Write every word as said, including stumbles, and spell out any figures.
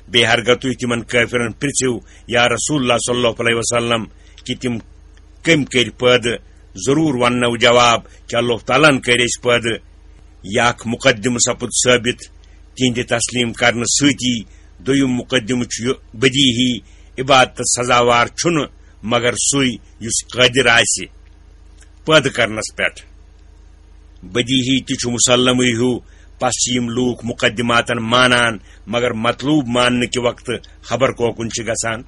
بیٚیہِ ہرگاہ تُہۍ تِمن کٲفرن پرژھِو، یا رسول اللہ صلی اللہ علیہ وسلم، کہِ تِم کٔمۍ کٔرۍ پٲدٕ، ضروٗر وننو جواب کہِ اللہ تعالیٰ ہن کٔرۍ أسۍ پٲدٕ۔ یہِ اکھ مقدمہٕ سپُد ثٲبت تِہنٛدِ تسلیٖم کرنہٕ سۭتی۔ دوٚیُم مقدمہٕ چھُ یہِ بدیہی، عبادتس سزاوار چھُنہٕ مگر سُے یُس قٲدر آسہِ پٲدٕ کرنس پٮ۪ٹھ۔ بدیہی تہِ چھُ مسلمٕے ہیوٗ، پس چھِ یِم لوٗکھ مقدماتن مانان، مگر مطلوب ماننہٕ کہِ وقتہٕ خبر کوکُن چھِ گژھان۔